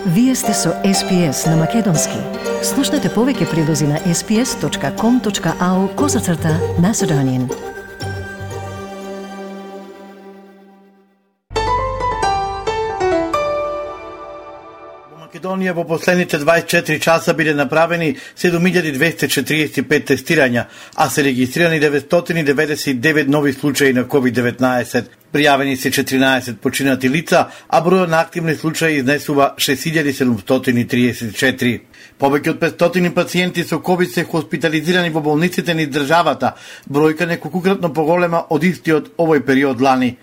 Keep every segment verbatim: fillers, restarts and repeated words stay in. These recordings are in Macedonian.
Вие сте со Ес Пи Ес на Македонски. Слушнете повеќе прилози на ес пи ес точка ком точка ау козацрта Macedonian. Македонија во последните дваесет и четири часа биле направени седум илјади двесте четириесет и пет тестирања, а се регистрирани деветстотини деветдесет и девет нови случаи на ковид деветнаесет. Пријавени се четиринаесет починати лица, а бројот на активни случаи изнесува шест илјади седумстотини триесет и четири. Повеќе од петстотини пациенти со ковид се хоспитализирани во болниците низ државата, бројка неколкукратно поголема од истиот овој период лани.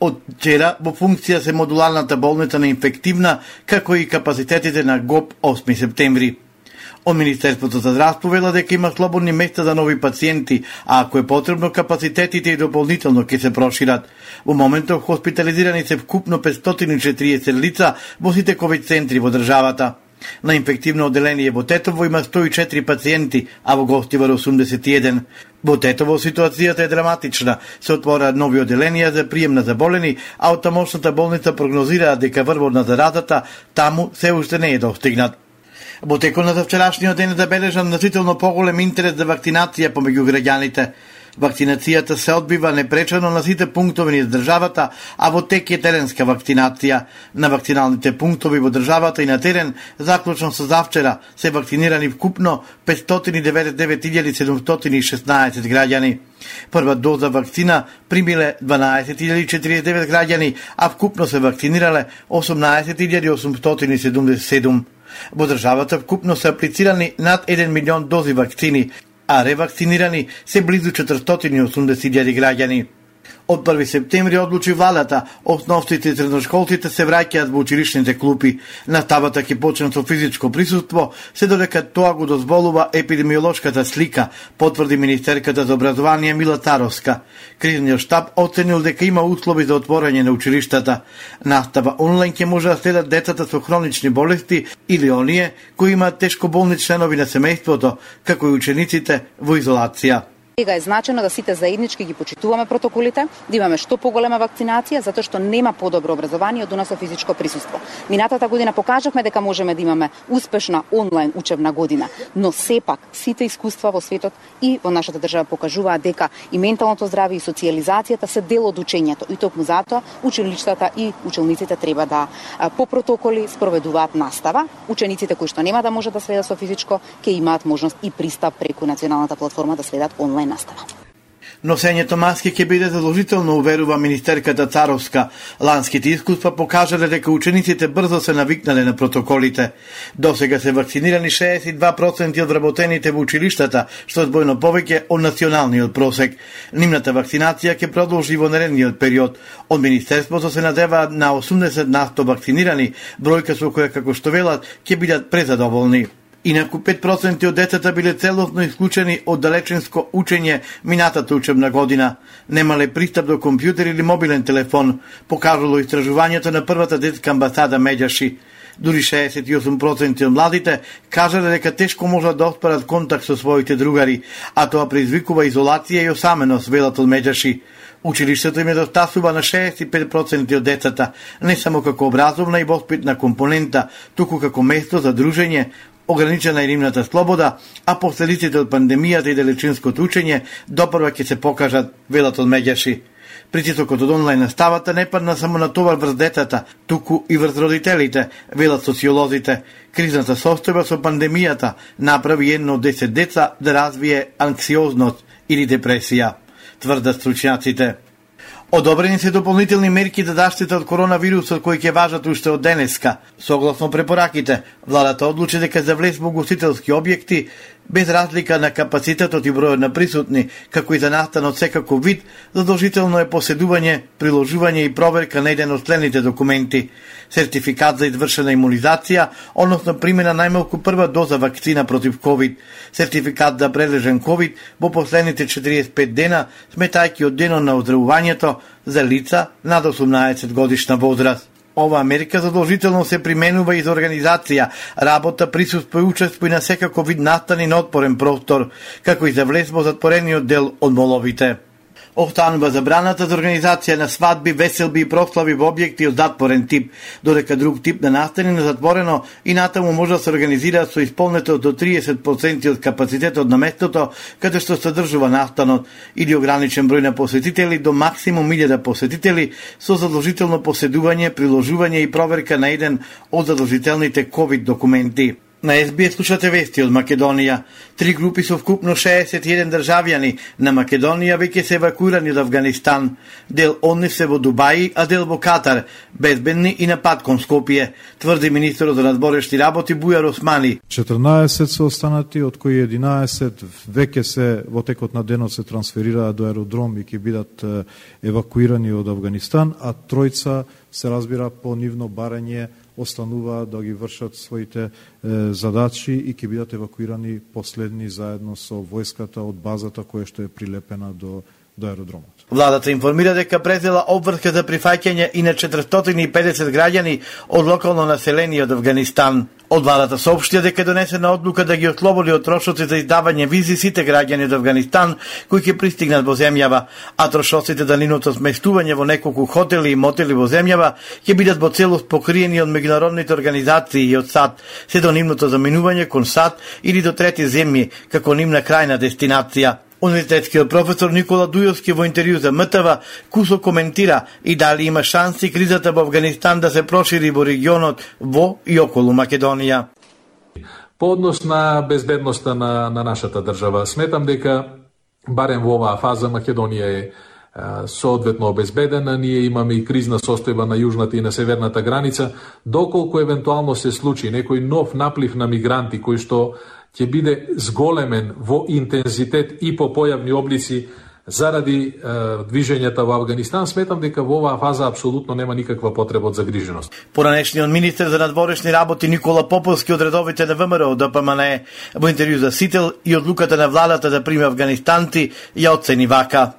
Од вчера во функција се модуларната болница на инфективна, како и капацитетите на ГОП осми септември. Од Министерството за здравство вела дека има слободни места за нови пациенти, а ако е потребно, капацитетите и дополнително ќе се прошират. Во моментов хоспитализирани се вкупно петстотини и четириесет лица во сите ковид центри во државата. На инфективно одделение во Тетово има сто и четири пациенти, а во Гостивар осумдесет и еден. Во Тетово ситуацијата е драматична. Се отвора нови одделенија за прием на заболени, а од тамошната болница прогнозираат дека врвот на заразата таму се уште не е достигнат. Во текот на вчерашниот ден забележан значително поголем интерес за вакцинација помеѓу граѓаните. Вакцинацијата се одбива непречено на сите пунктови низ државата, а во тек е теренска вакцинација. На вакциналните пунктови во државата и на терен, заклучно со завчера, се вакцинирани вкупно петстотини деветдесет и девет илјади седумстотини и шеснаесет граѓани. Прва доза вакцина примиле дванаесет илјади четириесет и девет граѓани, а вкупно се вакцинирале осумнаесет илјади осумстотини и седумдесет и седум. Во државата вкупно се аплицирани над еден милион дози вакцини, а ревакцинирани се близу четиристотини и осумдесет илјади граѓани. Од први септември одлучи владата, основците и средношколците се враќаат во училишните клупи. Наставата ќе почне со физичко присуство, се додека тоа го дозволува епидемиолошката слика, потврди министерката за образование Мила Царовска. Кризниот штаб оценил дека има услови за отворање на училиштата. Настава онлайн ќе може да следат децата со хронични болести или оние кои имаат тешко болни членови на семејството, како и учениците во изолација. Сега е значено да сите заеднички ги почитуваме протоколите, да имаме што поголема вакцинација, затоа што нема подобро образование од уна со физичко присуство. Минатата година покажавме дека можеме да имаме успешна онлайн учебна година, но сепак сите искуства во светот и во нашата држава покажуваат дека и менталното здравје и социјализацијата се дел од учењето, и токму затоа училиштата и учениците треба да по протоколи спроведуваат настава. Учениците кои што нема да можат да следат со физичко, ќе имаат можност и пристап преку националната платформа да следат онлайн настава. Носењето маски ќе биде задолжително, уверува министерката Царовска. Ланските искуства покажале дека учениците брзо се навикнале на протоколите. Досега се вакцинирани шеесет и два проценти од вработените во училиштата, што е збојно повеќе од националниот просек. Нивната вакцинација ќе продолжи во наредниот период. Од министерството се надеваат на осумдесет на сто вакцинирани, бројка со која, како што велат, ќе бидат презадоволни. Инаку пет проценти од децата биле целосно исклучени од далеченско учење минатата учебна година. Немале пристап до компјутер или мобилен телефон, покажало истражувањето на првата детска амбасада Медјаши. Дури шеесет и осум проценти од младите кажале дека тешко можат да оспарат контакт со своите другари, а тоа предизвикува изолација и осаменост, велат од Медјаши. Училиштето им недостасува на шеесет и пет проценти од децата, не само како образовна и воспитна компонента, туку како место за дружење, ограничена е нивната слобода, а последиците од пандемијата и далечинското учење допрва ќе се покажат, велат од Медјаши. Притисокот од онлайн наставата не падна само на товар врз децата, туку и врз родителите, велат социолозите. Кризната состојба со пандемијата направи едно од десет деца да развие анксиозност или депресија, тврдат стручњаците. Одобрени се дополнителни мерки за заштита од коронавирусот кои ќе важат уште од денеска. Согласно препораките, владата одлучи дека за влез во гостителски објекти, без разлика на капацитетот и бројот на присутни, како и за настан од секаков вид, задолжително е поседување, приложување и проверка на еден од следните документи: сертификат за извршена имунизација, односно примена најмалку прва доза вакцина против ковид, сертификат за прележен ковид во последните четириесет и пет дена, сметајќи од денот на оздравувањето за лица над осумнаесет годишна возраст. Ова мерка задолжително се применува и за организација, работа, присуство и учество и на секако вид настани на отпорен простор, како и за влез во затворениот дел од моловите. Останува забраната за организација на свадби, веселби и прослави во објекти од затворен тип, додека друг тип на настани на затворено и натаму може да се организира со исполнето до триесет проценти од капацитетот на местото каде што содржува настанот или ограничен број на посетители до максимум илјада посетители со задолжително поседување, приложување и проверка на еден од задолжителните ковид документи. На Ес Би Ес слушате вести од Македонија. Три групи со вкупно шеесет и еден државјани на Македонија веќе се евакуирани од Авганистан. Дел од нив се во Дубај, а дел во Катар, безбедни и на пат кон Скопје, тврди министерот за надворешни работи Бујар Османи. четрнаесет се останати, од кои единаесет веќе се во текот на денот се трансферираат до аеродром и ќе бидат евакуирани од Авганистан, а тројца се разбира по нивно барање остануваат да ги вршат своите е, задачи и ќе бидат евакуирани последни заедно со војската од базата која што е прилепена до, до аеродромот. Владата информира дека презела обврска за прифаќање и на четиристотини и педесет граѓани од локално население од Авганистан. Од владата соопштија дека донесена одлука да ги ослободи од трошоци за издавање визи сите граѓани од Авганистан кои ќе пристигнат во земјава, а трошоците за нивното сместување во неколку хотели и мотели во земјава ќе бидат во целост покриени од меѓународните организации и од САД, се до нивното заминување кон САД или до трети земји како нивна крајна дестинација. Универзитетскиот професор Никола Дујовски во интервју за М Т В кусо коментира и дали има шанси кризата во Авганистан да се прошири во регионот во и околу Македонија. По однос на безбедноста на, на нашата држава, сметам дека барем во оваа фаза Македонија е соодветно обезбедена, ние имаме и кризна состојба на јужната и на северната граница, доколку евентуално се случи некој нов наплив на мигранти кој што ќе биде зголемен во интензитет и по појавни облици заради е, движењата во Авганистан, сметам дека во оваа фаза апсолутно нема никаква потреба од загриженост. Поранешниот министер за надворешни работи Никола Поповски од редовите на Вэ Ем Р од Д П М Н Е во интервју за Сител и одлуката на владата да приме афганистанци ја оцени вака.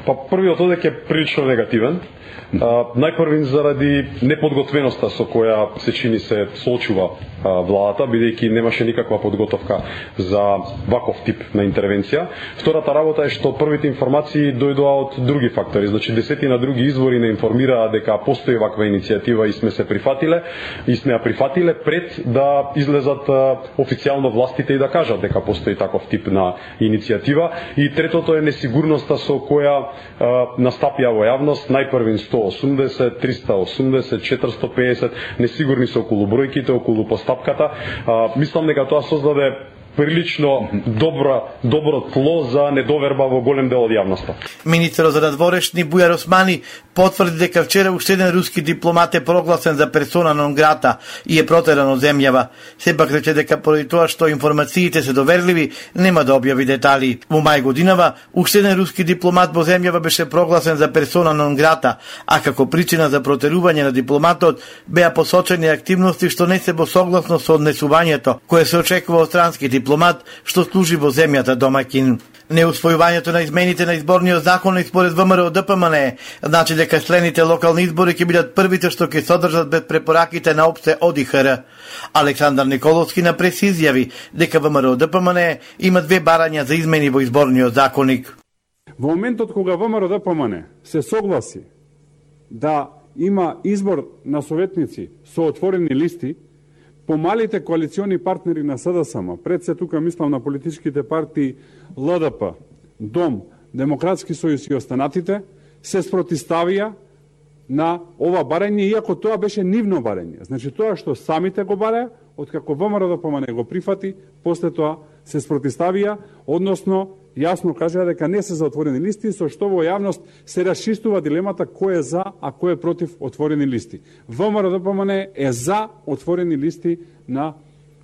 Па првиот одек е прилично негативен. Uh, најпрвин заради неподготвеноста со која се чини се соочува uh, владата, бидејќи немаше никаква подготовка за ваков тип на интервенција. Втората работа е што првите информации дојдоа од други фактори, значи десетина други извори не информираа дека постои ваква иницијатива и сме се прифатиле, и сме ја прифатиле пред да излезат uh, официјално властите и да кажат дека постои таков тип на иницијатива. И третото е несигурноста со која uh, настапија во јавност, најпрвин сто осумдесет, триста осумдесет, четиристо педесет, несигурни се околу бројките, околу постапката. А, мислам дека тоа создаде прилично добро, добро тло за недоверба во голем дел од јавноста. Министерот за надворешни Бујар Османи потврди дека вчера уште еден руски дипломат е прогласен за персона нон грата и е протеран од земјава. Сепак рече дека поради тоа што информациите се доверливи, нема да објави детали. Во мај годинава уште еден руски дипломат во земјава беше прогласен за персона нон грата, а како причина за протерување на дипломатот беа посочени активности што не се во согласно со однесувањето кое се очекува од странски дипломат што служи во земјата домаќин. Неусвојувањето на измените на изборниот закон и според Вэ Ем Р од Д П М Н Е значи дека следните локални избори ќе бидат првите што ќе содржат без препораките на опште О Д И Х Р. Александар Николовски на прес изјави дека Вэ Ем Р од Д П М Н Е има две барања за измени во изборниот законник. Во моментот кога Вэ Ем Р од Д П М Н Е се согласи да има избор на советници со отворени листи, помалите коалициони партнери на С Д С М, пред се тука мислам на политичките партии Л Д П, Дом, Демократски сојуз и останатите, се спротиставија на ова барање, иако тоа беше нивно барање. Значи тоа што самите го бараја, откако Вэ Ем Р Д П М Н го прифати, после тоа се спротиставија, односно јасно кажа дека не се за отворени листи, со што во јавност се расчистува дилемата кој е за, а кој е против отворени листи. Вэ Ем Р Д П М Н е за отворени листи на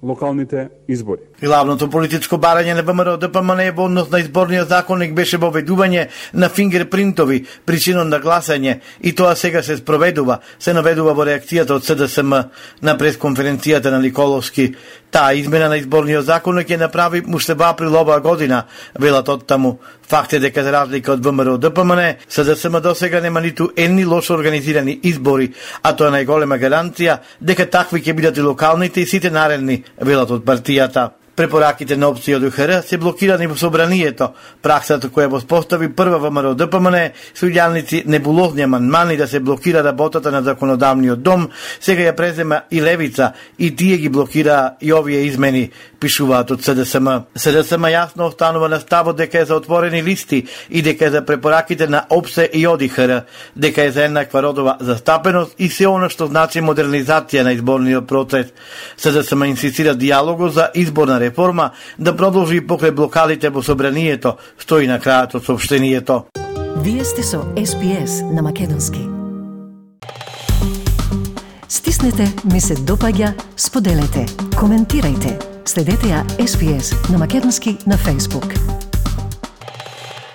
локалните избори. Главното политичко барање на Вэ Ем Р Д П М Н во однос на изборниот законник беше воведување на фингерпринтови причинон на гласање и тоа сега се спроведува, се наведува во реакцијата од С Д С М на пресконференцијата на Николовски. Таа измена на изборниот законник ќе направи уште во април оваа година, велат од таму. Факт е дека за разлика од Вэ Ем Р Д П М Н, С Д С М досега нема ниту едни лошо организирани избори, а тоа е најголема гаранција дека такви ќе бидат и локалните и сите наредни, велат од партијата. Препораките на опција од УХР се блокирани во собранието. Праксата која го спостави прва ВМРО ДПМН со илјадници небулозни амандмани да се блокира работата на законодавниот дом, сега ја презема и левица и тие ги блокира и овие измени, пишуваат од СДСМ. СДСМ јасно останува на ставот дека е за отворени листи и дека е за препораките на ОПСЕ и ОДИХР, дека е за еднаква родова застапеност и се она што значи модернизација на изборниот процес. СДСМ инсистира диалогот за изборна реформа да продолжи покрај блокадите во собранието, стои на крајот од соопштението. Вие сте со Ес Би Ес на македонски. Стиснете, ми се допаѓа, споделете, коментирајте. Следете ја Ес Би Ес на македонски на Facebook.